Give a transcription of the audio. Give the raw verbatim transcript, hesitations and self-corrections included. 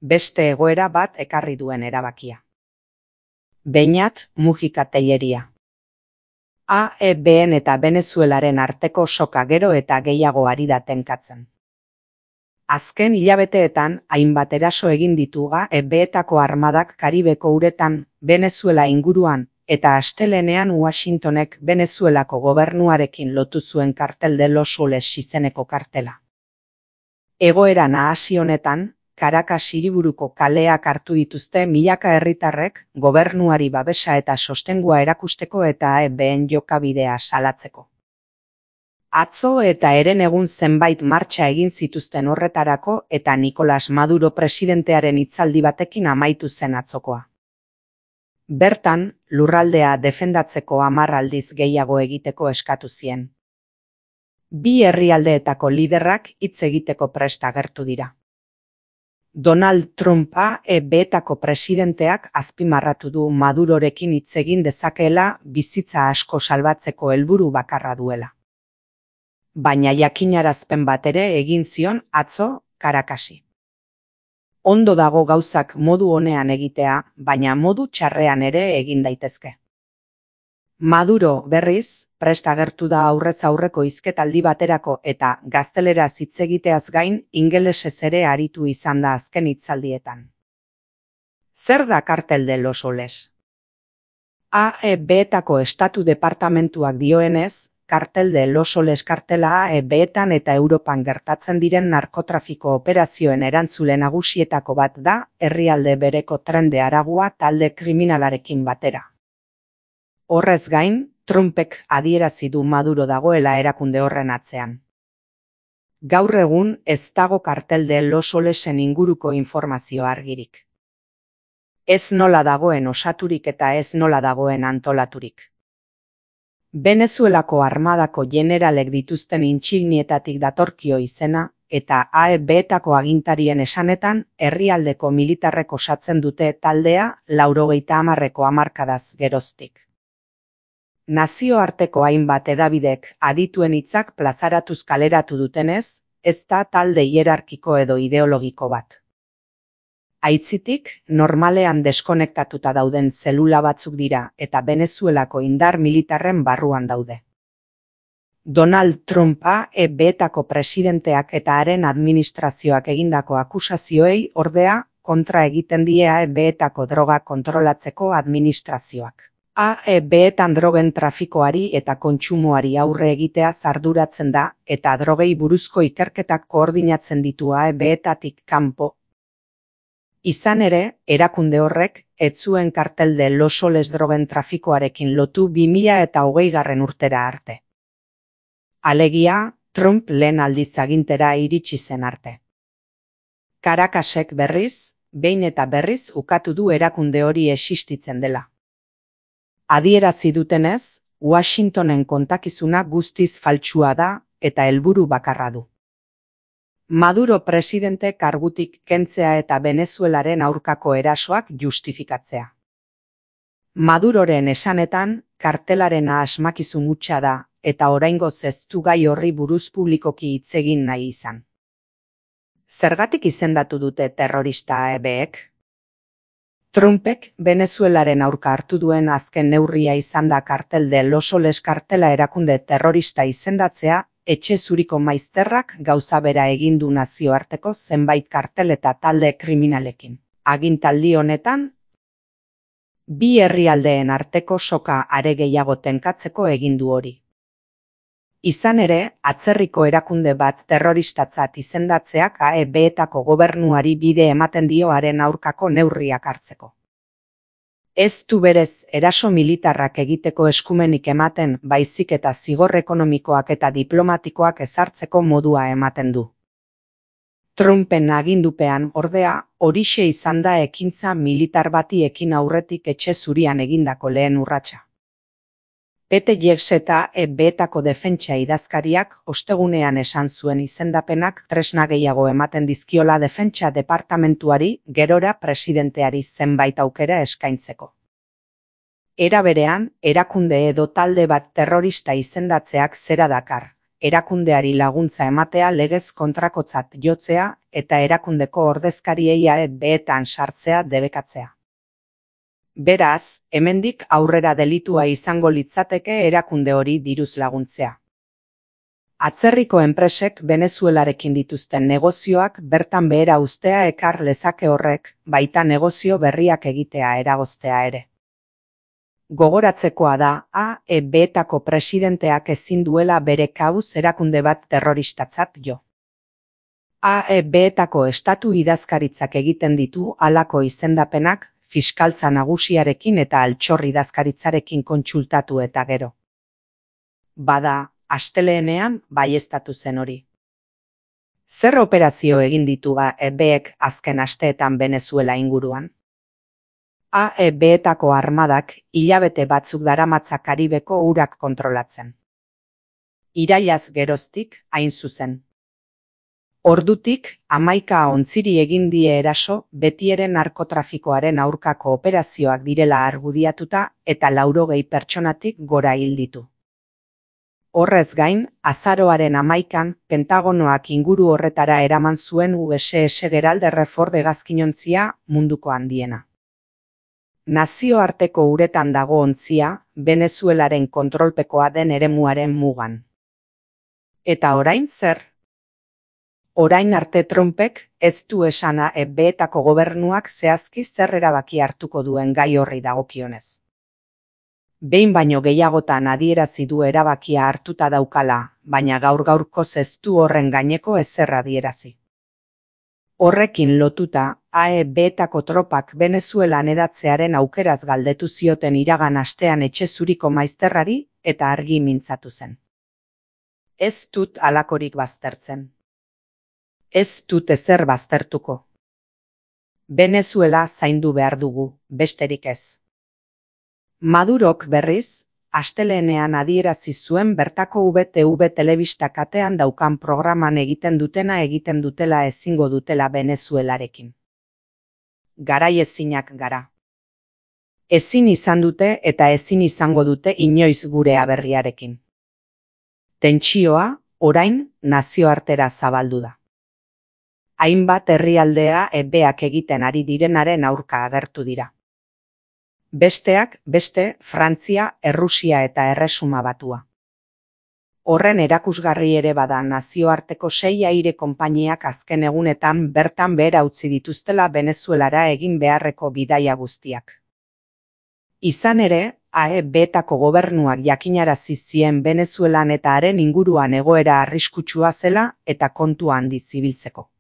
beste egoera bat ekarri duen erabakia. Beñat Mujika Telleria. A E B-en eta Venezuelaren arteko soka gero eta gehiago ari da tenkatzen. Azken hilabeteetan hainbat eraso egin ditu A E B-etako armadak Karibeko uretan, Venezuela inguruan, eta astelehenean Washingtonek Venezuelako gobernuarekin lotu zuen kartel de Los Soles izeneko kartela. Egoera nahasi honetan, Caracas hiriburuko kaleak hartu dituzte milaka herritarrek gobernuari babesa eta sostengua erakusteko eta A E B-en jokabidea salatzeko. Atzo eta herenegun zenbait martxa egin zituzten horretarako eta Nicolás Maduro presidentearen hitzaldi batekin amaitu zen atzokoa. Bertan, lurraldea defendatzeko hamar aldiz gehiago egiteko eskatu zien. Bi herrialdeetako liderrak hitz egiteko prest agertu dira. Donald Trump A E B-etako presidenteak azpimarratu du Madurorekin hitz egin dezakeela bizitza asko salbatzeko helburu bakarra duela. Baina jakinarazpen bat ere egin zion atzo Caracasi. Ondo dago gauzak modu onean egitea, baina modu txarrean ere egin daitezke. Maduro, berriz, prest agertu da aurrez aurreko hizketaldi baterako eta gazteleraz hitz egiteaz gain ingelesez ere aritu izan da azken hitzaldietan. Zer da kartel de Los Soles? A E B-etako estatu departamentuak dioenez, kartel de Los Soles kartela A E B-etan eta Europan gertatzen diren narkotrafiko operazioen erantzule nagusietako bat da, herrialde bereko tren de Aragua talde kriminalarekin batera. Horrez gain, Trumpek adierazi du Maduro dagoela erakunde horren atzean. Gaur egun ez dago kartel de Los Solesen inguruko informazio argirik. Ez nola dagoen osaturik eta ez nola dagoen antolaturik. Venezuelako armadako generalek dituzten intsignietatik datorkio izena, eta A E B-etako agintarien esanetan, herrialdeko militarrek osatzen dute taldea laurogeita hamarreko hamarkadaz geroztik. Nazioarteko hainbat hedabidek adituen hitzak plazaratuz kaleratu dutenez, ez da talde hierarkiko edo ideologiko bat. Aitzitik, normalean deskonektatuta dauden zelula batzuk dira eta Venezuelako indar militarren barruan daude. Donald Trump A E B-etako presidenteak eta haren administrazioak egindako akusazioei ordea kontra egiten die A E B-etako droga kontrolatzeko administrazioak. A E B-etan drogen trafikoari eta kontsumoari aurre egitea arduratzen da eta drogei buruzko ikerketak koordinatzen ditu A E B-etatik kanpo. Izan ere, erakunde horrek ez zuen kartel de Los Soles drogen trafikoarekin lotu bi mila eta hogeigarren urtera arte. Alegia, Trump lehen aldiz agintera iritsi zen arte. Caracasek berriz, behin eta berriz ukatu du erakunde hori existitzen dela. Adierazi dutenez, Washingtonen kontakizuna guztiz faltsua da eta helburu bakarra du. Maduro presidente kargutik kentzea eta Venezuelaren aurkako erasoak justifikatzea. Maduroren esanetan, kartelarena asmakizun hutsa da, eta oraingoz ez du gai horri buruz publikoki hitz egin nahi izan. Zergatik izendatu dute terrorista A E B-ek? Trumpek Venezuelaren aurka hartu duen azken neurria izan da kartel de Los Soles kartela erakunde terrorista izendatzea, etxe zuriko maizterrak gauza bera egin du nazioarteko zenbait kartel eta talde kriminalekin. Agintaldi honetan, bi herrialdeen arteko soka are gehiago tenkatzeko egin du hori. Izan ere, atzerriko erakunde bat terroristatzat izendatzeak A E B-etako gobernuari bide ematen dio haren aurkako neurriak hartzeko. Ez du berez eraso militarrak egiteko eskumenik ematen, baizik eta zigor ekonomikoak eta diplomatikoak ezartzeko modua ematen du. Trumpen agindupean, ordea, horixe izan da ekintza militar bati ekin aurretik etxe zurian egindako lehen urratsa. Pete Jeks eta A E B-etako defentsa idazkariak ostegunean esan zuen izendapenak tresna gehiago ematen dizkiola defentsa departamentuari gerora presidenteari zenbait aukera eskaintzeko. Era berean, erakunde edo talde bat terrorista izendatzeak zera dakar, erakundeari laguntza ematea legez kontrakotzat jotzea eta erakundeko ordezkariei A E B-etan sartzea debekatzea. Beraz, hemendik aurrera delitua izango litzateke erakunde hori diruz laguntzea. Atzerriko enpresek Venezuelarekin dituzten negozioak bertan behera uztea ekar lezake horrek, baita negozio berriak egitea eragoztea ere. Gogoratzekoa da A E B-etako presidenteak ezin duela bere kabuz erakunde bat terroristatzat jo. A E B-etako estatu idazkaritzak egiten ditu halako izendapenak fiskaltza nagusiarekin eta altxor idazkaritzarekin kontsultatu eta gero. Bada, asteleenean baieztatu zen hori. Zer operazio egin ditu A E B-ek azken asteetan Venezuela inguruan? A E B-etako armadak hilabete batzuk daramatza Karibeko urak kontrolatzen. Irailaz geroztik, hain zuzen. Ordutik, hamaika ontziri egin die eraso betiere narkotrafikoaren aurkako operazioak direla argudiatuta eta laurogei pertsonatik gora hil ditu. Horrez gain, azaroaren hamaikan, Pentagonoak inguru horretara eraman zuen U S S Gerald R. Ford hegazkinontzia munduko handiena. Nazioarteko uretan dago ontzia, Venezuelaren kontrolpekoa den eremuaren mugan. Eta orain zer? Orain arte Trumpek ez du esan A E B-etako gobernuak zehazki zer erabaki hartuko duen gai horri dagokionez. Behin baino gehiagotan adierazi du erabakia hartuta daukala, baina gaur gaurkoz ez du horren gaineko ezer adierazi. Horrekin lotuta, A E B-etako tropak Venezuelan edatzearen aukeraz galdetu zioten iragan astean etxe zuriko maizterrari eta argi mintzatu zen. Ez dut halakorik baztertzen. Ez dut ezer baztertuko. Venezuela zaindu behar dugu, besterik ez. Madurok berriz, asteleenean adierazi zuen bertako U B T V telebista katean daukan programan egiten dutena egiten dutela ezingo dutela Venezuelarekin. Garai ezinak gara. Ezin izan dute eta ezin izango dute inoiz gure aberriarekin. Tentsioa, orain, nazioartera zabaldu da. Hainbat herrialdea ebeak egiten ari direnaren aurka agertu dira. Besteak, beste, Frantzia, Errusia eta Erresuma Batua. Horren erakusgarri ere bada nazioarteko sei aire konpainiak azken egunetan bertan behera utzi dituztela Venezuelara egin beharreko bidaia guztiak. Izan ere, A E B-etako gobernuak jakinarazi zien Venezuelan eta haren inguruan egoera arriskutsua zela eta kontu handi zibiltzeko.